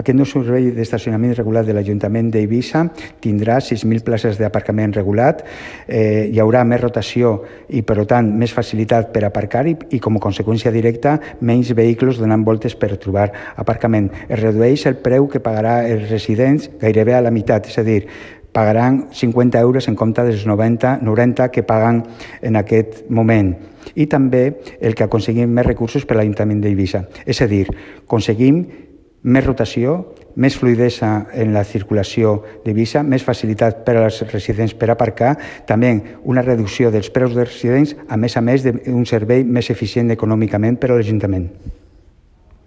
Aquest nou servei d'estacionament regulat de l'Ajuntament d'Eivissa tindrà 6.000 places d'aparcament regulat, hi haurà més rotació i, per tant, més facilitat per aparcar i com a conseqüència directa, menys vehicles donant voltes per trobar aparcament. Es redueix el preu que pagarà els residents gairebé a la meitat, és a dir, pagaran 50 euros en compte dels 90 que paguen en aquest moment. I també el que aconseguim més recursos per a l'Ajuntament d'Eivissa. És a dir, aconseguim més rotació, més fluïdesa en la circulació d'Eivissa, més facilitat per als residents per aparcar, també una reducció dels preus dels residents, a més d'un servei més eficient econòmicament per a l'Ajuntament.